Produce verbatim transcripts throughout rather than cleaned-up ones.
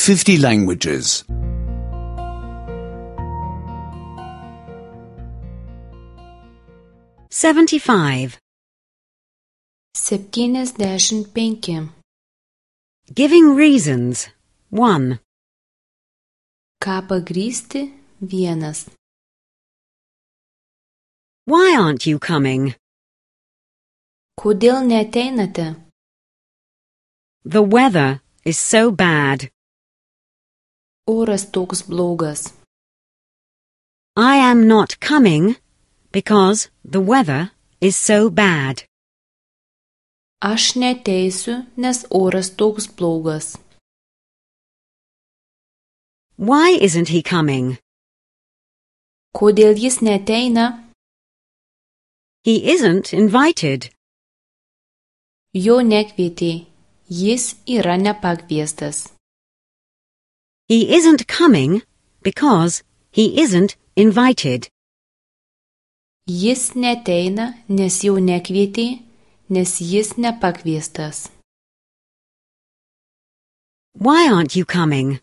fifty languages. seventy-five. septyniasdešimt penki. Giving reasons. one. Ką pagrįsti? Vienas. Why aren't you coming? Kodėl neateinate? The weather is so bad. Oras toks blogas. I am not coming because the weather is so bad. Aš neteisiu, nes oras toks blogas. Why isn't he coming? Kodėl jis neateina? He isn't invited. Jo nekvietė. Jis yra nepakviestas. He isn't coming because he isn't invited. Jis neateina, nes jo nekvietė, nes jis nepakviestas. Why aren't you coming?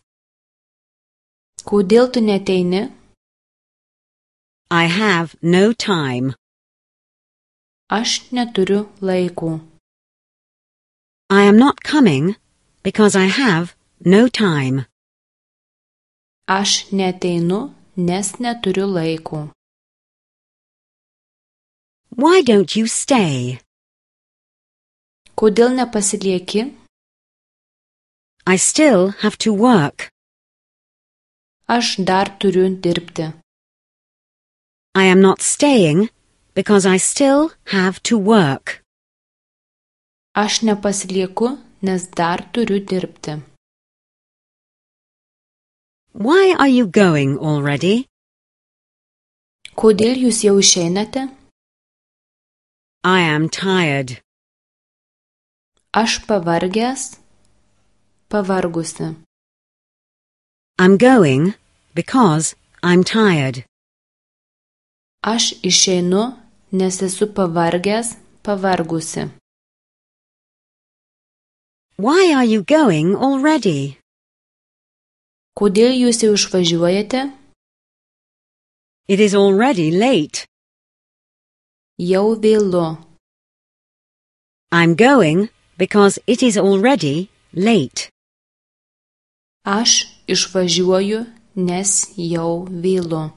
Kodėl tu neateini? I have no time. Aš neturiu laiko. I am not coming because I have no time. Aš neateinu, nes neturiu laiko. Why don't you stay? Kodėl nepasilieki? I still have to work. Aš dar turiu dirbti. I am not staying because I still have to work. Aš nepasilieku, nes dar turiu dirbti. Why are you going already? Kodėl jūs jau išeinate? I am tired. Aš pavargęs, pavargusi. I'm going because I'm tired. Aš išeinu, nes esu pavargęs, pavargusi. Why are you going already? Kodėl jūs jau išvažiuojate? It is already late. Jau vėlu. I'm going because it is already late. Aš išvažiuoju, nes jau vėlu.